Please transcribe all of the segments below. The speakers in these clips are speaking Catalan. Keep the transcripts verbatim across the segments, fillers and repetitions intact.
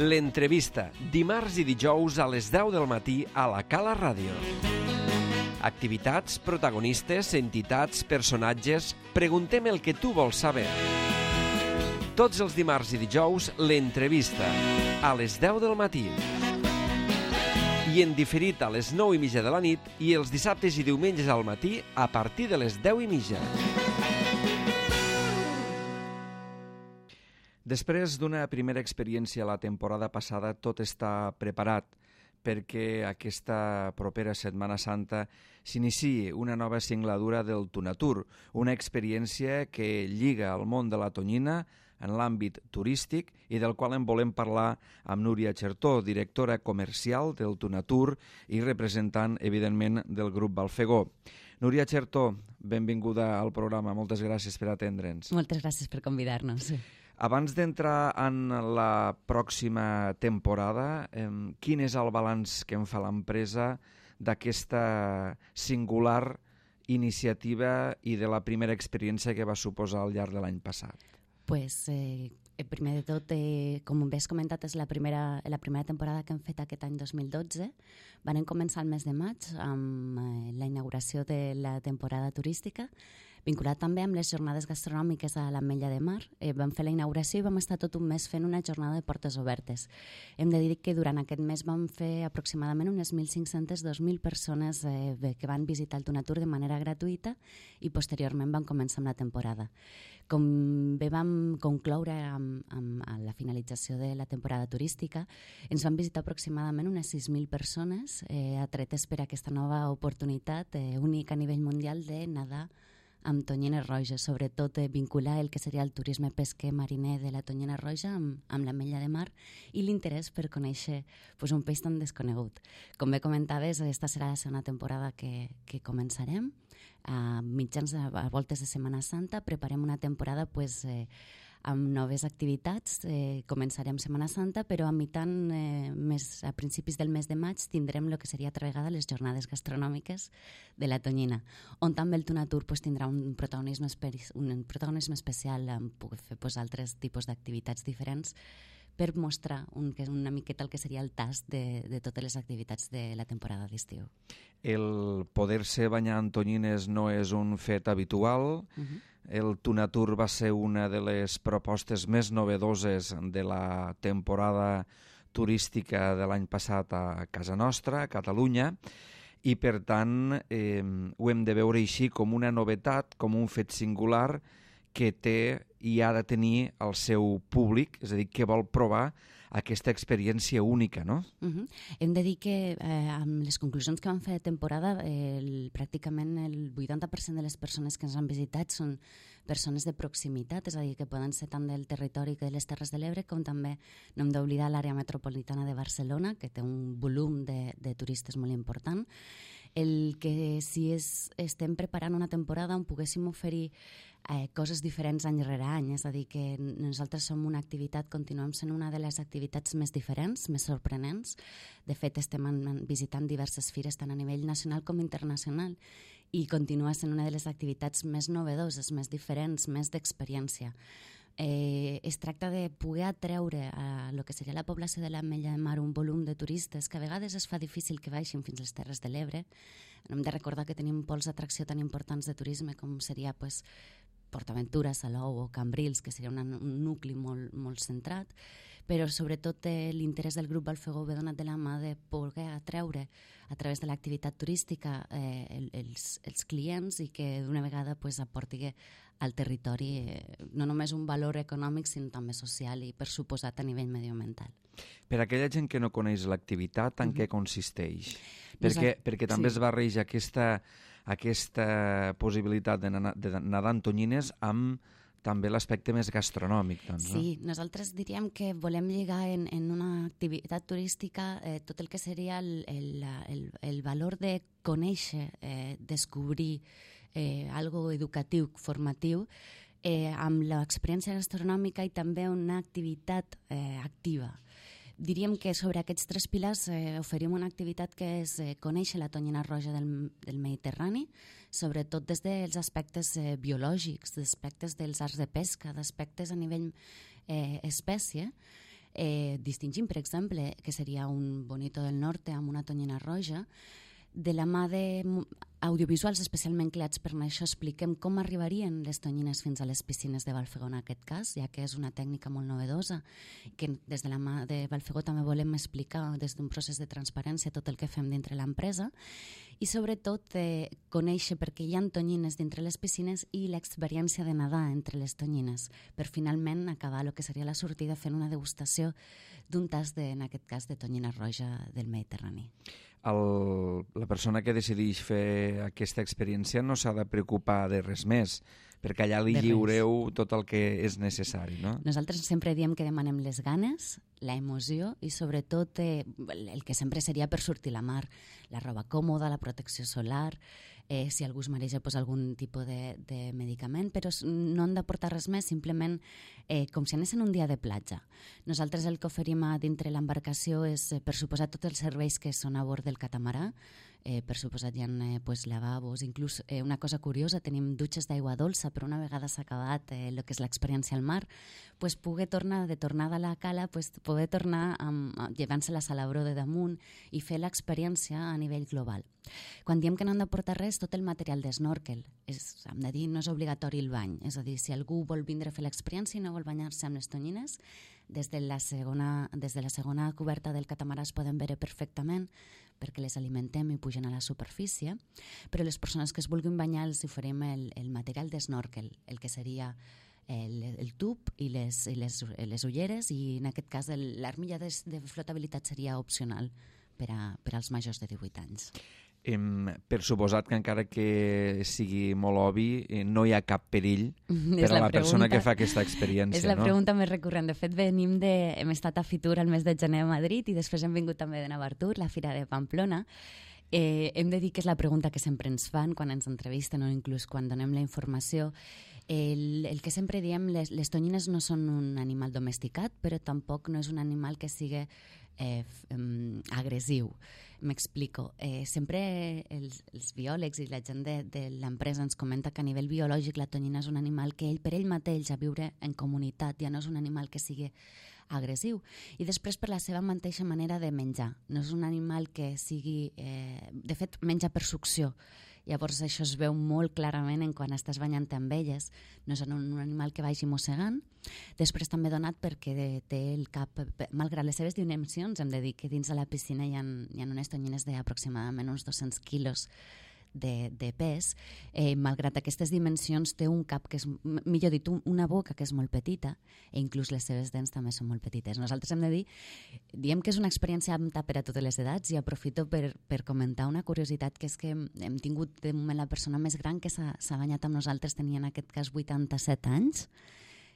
L'entrevista, dimarts i dijous a les deu del matí a la Cala Ràdio. Activitats, protagonistes, entitats, personatges... Preguntem el que tu vols saber. Tots els dimarts i dijous, l'entrevista, a les deu del matí. I en diferit a les nou i mitja de la nit i els dissabtes i diumenges al matí a partir de les deu i mitja. Després d'una primera experiència la temporada passada, tot està preparat perquè aquesta propera Setmana Santa s'iniciï una nova singladura del Tunatur, una experiència que lliga el món de la tonyina en l'àmbit turístic i del qual en volem parlar amb Núria Chertó, directora comercial del Tunatur i representant, evidentment, del grup Balfegó. Núria Chertó, benvinguda al programa. Moltes gràcies per atendre'ns. Moltes gràcies per convidar-nos. Abans d'entrar en la pròxima temporada, eh, quin és el balanç que en fa l'empresa d'aquesta singular iniciativa i de la primera experiència que va suposar al llarg de l'any passat? Pues, eh, primer de tot, eh, com bé has comentat, és la primera, la primera temporada que hem fet aquest any dos mil dotze. Vam començar el mes de maig amb eh, la inauguració de la temporada turística, vinculat també amb les jornades gastronòmiques a l'Ametlla de Mar. Eh, vam fer la inauguració i vam estar tot un mes fent una jornada de portes obertes. Hem de dir que durant aquest mes vam fer aproximadament unes mil cinc-centes a dos mil persones eh, que van visitar el Tunatur de manera gratuïta i posteriorment vam començar amb la temporada. Com bé vam concloure amb, amb a la finalització de la temporada turística, ens van visitar aproximadament unes sis mil persones eh, atretes per aquesta nova oportunitat eh, única a nivell mundial de nedar amb tonyines roges, sobretot eh, vincular el que seria el turisme pesquer mariner de la tonyina roja amb, amb l'Ametlla de Mar i l'interès per conèixer pues, un peix tan desconegut. Com bé comentaves, aquesta serà la segona temporada que, que començarem. A mitjans, a, a voltes de Setmana Santa, preparem una temporada pues, eh, amb noves activitats. Eh, començarem Setmana Santa, però a mitant, eh, més, a principis del mes de maig, tindrem el que seria altra vegada les jornades gastronòmiques de la tonyina, on també el Tunatur pues, tindrà un protagonisme, un protagonisme especial, amb poder fer pues, altres tipus d'activitats diferents per mostrar un, una miqueta el que seria el tast de, de totes les activitats de la temporada d'estiu. El poder-se banyar en tonyines no és un fet habitual. Uh-huh. El Tunatur va ser una de les propostes més novedoses de la temporada turística de l'any passat a casa nostra, a Catalunya, i per tant eh, ho hem de veure així com una novetat, com un fet singular que té i ha de tenir el seu públic, és a dir, que vol provar aquesta experiència única, no? Uh-huh. Hem de dir que eh, amb les conclusions que vam fer de temporada, eh, el, pràcticament el vuitanta per cent de les persones que ens han visitat són persones de proximitat, és a dir, que poden ser tant del territori que de les Terres de l'Ebre, com també no hem d'oblidar l'àrea metropolitana de Barcelona, que té un volum de, de turistes molt important. El que si és, estem preparant una temporada on poguéssim oferir eh, coses diferents any rere any, és a dir, que nosaltres som una activitat, continuem sent una de les activitats més diferents, més sorprenents. De fet, estem en, visitant diverses fires tant a nivell nacional com internacional i continua sent una de les activitats més novedoses, més diferents, més d'experiència. Eh, es tracta de poder atreure a lo que seria la població de l'Ametlla de Mar un volum de turistes que a vegades es fa difícil que baixin fins a les Terres de l'Ebre. Hem de recordar que tenim pols d'atracció tan importants de turisme com seria pues, PortAventura, Salou o Cambrils, que seria una, un nucli molt, molt centrat, però sobretot eh, l'interès del grup Balfegó ve donat de la mà de poder atreure a través de l'activitat turística eh, el, els, els clients i que d'una vegada pues, aporti al territori eh, no només un valor econòmic sinó també social i per suposat a nivell medioambiental. Per a aquella gent que no coneix l'activitat, en uh-huh. què consisteix? Perquè, Nosaltres, perquè també sí. es barreja aquesta, aquesta possibilitat de, na- de nedar en tonyines amb també l'aspecte més gastronòmic. Doncs, sí, no? Nosaltres diríem que volem lligar en, en una activitat turística eh, tot el que seria el, el, el, el valor de conèixer, eh, descobrir eh, algo educatiu, formatiu, eh, amb l'experiència gastronòmica i també una activitat eh, activa. Diríem que sobre aquests tres pilars eh, oferim una activitat que és eh, conèixer la tonyina roja del, del Mediterrani, sobretot des dels aspectes eh, biològics, d'aspectes dels arts de pesca, d'aspectes a nivell eh, espècie, eh, distingim, per exemple, que seria un Bonito del Norte amb una tonyina roja, de la mà d'audiovisuals especialment creats per això expliquem com arribarien les tonyines fins a les piscines de Valfegó en aquest cas, ja que és una tècnica molt novedosa, que des de la mà de Valfegó també volem explicar des d'un procés de transparència tot el que fem dintre l'empresa i sobretot eh, conèixer per què hi ha tonyines dintre les piscines i l'experiència de nedar entre les tonyines, per finalment acabar el que seria la sortida fent una degustació d'un tas, de, en aquest cas, de tonyina roja del Mediterrani. El, la persona que decideix fer aquesta experiència no s'ha de preocupar de res més, perquè allà li lliureu tot el que és necessari, no? Nosaltres sempre diem que demanem les ganes, la emoció i sobretot eh, el que sempre seria per sortir a la mar, la roba còmoda, la protecció solar, eh, si algú es mareja, pues, algun tipus de, de medicament, però no han de portar res més, simplement eh, com si anessin un dia de platja. Nosaltres el que oferim a dintre l'embarcació és, eh, per suposar, tots els serveis que són a bord del catamarà. Eh, per suposat hi ha eh, pues, lavabos, inclús eh, una cosa curiosa, tenim dutxes d'aigua dolça, però una vegada s'ha acabat el eh, que és l'experiència al mar, pues, poder tornar de tornada a la cala, pues, poder tornar amb, llevant-se la salabró de damunt i fer l'experiència a nivell global. Quan diem que no han de portar res, tot el material d'esnorkel, és, hem de dir, no és obligatori el bany, és a dir, si algú vol vindre a fer l'experiència i no vol banyar-se amb les tonyines, des de la segona, des de la segona coberta del catamarà es poden veure perfectament perquè les alimentem i pugen a la superfície, però les persones que es vulguin banyar els oferim el, el material d'esnorkel, el que seria el, el tub i les, i les, les ulleres i en aquest cas l'armilla de, de flotabilitat seria opcional per, a, per als majors de divuit anys. Em, per suposat que encara que sigui molt obvi, eh, no hi ha cap perill per a la, la persona que fa aquesta experiència. És la no? pregunta més recurrent. De fet, venim de, hem estat a Fitur el mes de gener a Madrid i després hem vingut també de Navartur, la Fira de Pamplona. Eh, hem de dir que és la pregunta que sempre ens fan quan ens entrevisten o inclús quan donem la informació. El, el que sempre diem, les, les tonyines no són un animal domesticat, però tampoc no és un animal que sigui eh, um, agressiu. M'explico. Eh, sempre els, els biòlegs i la gent de, de l'empresa ens comenta que a nivell biològic la tonyina és un animal que ell per ell mateix a viure en comunitat ja no és un animal que sigui agressiu. I després per la seva mateixa manera de menjar. No és un animal que sigui... Eh, de fet, menja per succió. Llavors això es veu molt clarament en quan estàs banyant amb elles. No és un, un animal que vagi mossegant. Després també donat perquè té el cap, malgrat les seves dimensions, hem de dir que dins de la piscina hi ha, hi ha unes tonyines d'aproximadament uns dos-cents quilos de, de pes. Eh, malgrat aquestes dimensions té un cap que és, millor dit, una boca que és molt petita i inclús les seves dents també són molt petites. Nosaltres hem de dir, diem que és una experiència apta per a totes les edats i aprofito per, per comentar una curiositat, que és que hem tingut de moment la persona més gran que s'ha banyat amb nosaltres, tenia en aquest cas vuitanta-set anys.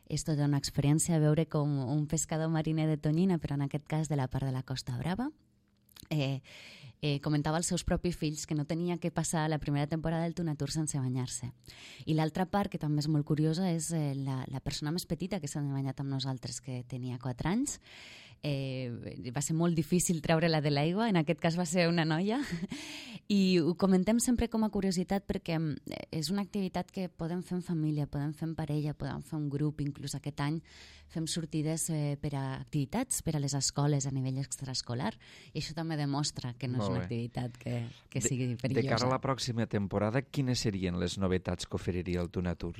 És tota una experiència veure com un pescador mariner de tonyina, però en aquest cas de la part de la Costa Brava. Eh, eh, comentava als seus propis fills que no tenia que passar la primera temporada del Tunatur sense banyar-se. I l'altra part, que també és molt curiosa, és eh, la, la persona més petita que s'ha banyat amb nosaltres, que tenia quatre anys. Eh, va ser molt difícil treure-la de l'aigua, en aquest cas va ser una noia, i ho comentem sempre com a curiositat perquè és una activitat que podem fer en família, podem fer en parella, podem fer un grup, inclús aquest any fem sortides eh, per a activitats per a les escoles a nivell extraescolar, i això també demostra que no és una activitat que, que sigui perillosa. De cara a la pròxima temporada, quines serien les novetats que oferiria el Tunatur?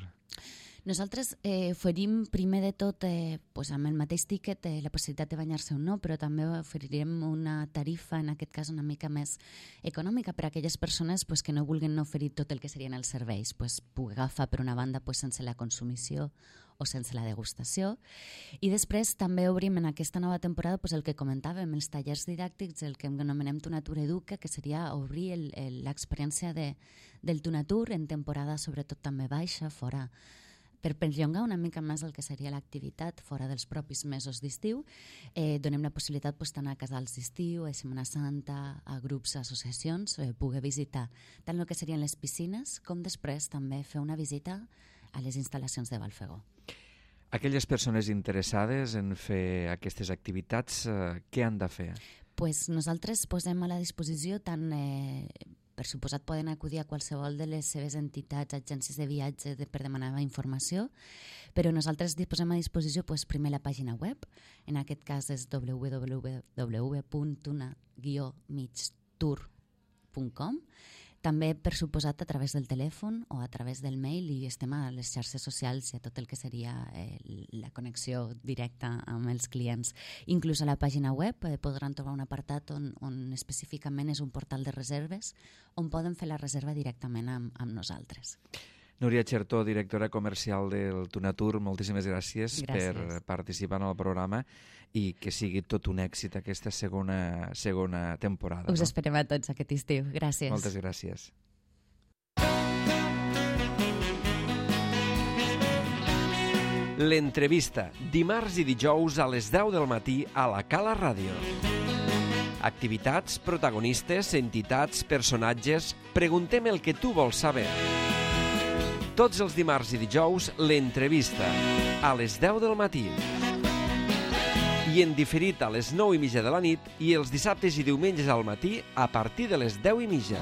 Nosaltres eh, oferim primer de tot eh, pues amb el mateix tíquet eh, la possibilitat de banyar-se o no, però també oferirem una tarifa, en aquest cas una mica més econòmica, per a aquelles persones pues, que no vulguin oferir tot el que serien els serveis, pues, poder agafar per una banda pues, sense la consumició o sense la degustació. I després també obrim en aquesta nova temporada pues, el que comentàvem, els tallers didàctics, el que anomenem Tunatur Educa, que seria obrir l'experiència de, del Tunatur en temporada sobretot també baixa, fora per perllongar una mica més el que seria l'activitat fora dels propis mesos d'estiu. Eh, donem la possibilitat pues, tant a casals d'estiu, a Setmana Santa, a grups, a associacions, eh, poder visitar tant el que serien les piscines com després també fer una visita a les instal·lacions de Valfegó. Aquelles persones interessades en fer aquestes activitats, eh, què han de fer? Pues nosaltres posem a la disposició tant eh, per suposat poden acudir a qualsevol de les seves entitats, agències de viatge de, per demanar informació, però nosaltres posem a disposició pues, primer la pàgina web, en aquest cas és w w w punt tuna guió mig tour punt com, també, per suposat, a través del telèfon o a través del mail, i estem a les xarxes socials i a tot el que seria eh, la connexió directa amb els clients. Inclús a la pàgina web eh, podran trobar un apartat on, on específicament és un portal de reserves on poden fer la reserva directament amb, amb nosaltres. Núria Chertó, directora comercial del Tunatur, moltíssimes gràcies, gràcies per participar en el programa i que sigui tot un èxit aquesta segona, segona temporada. Us no? esperem a tots aquest estiu. Gràcies. Moltes gràcies. L'entrevista, dimarts i dijous a les deu del matí a la Cala Ràdio. Activitats, protagonistes, entitats, personatges... Preguntem el que tu vols saber. Tots els dimarts i dijous, l'entrevista, a les deu del matí. I en diferit a les nou i mitja de la nit i els dissabtes i diumenges al matí a partir de les deu i mitja.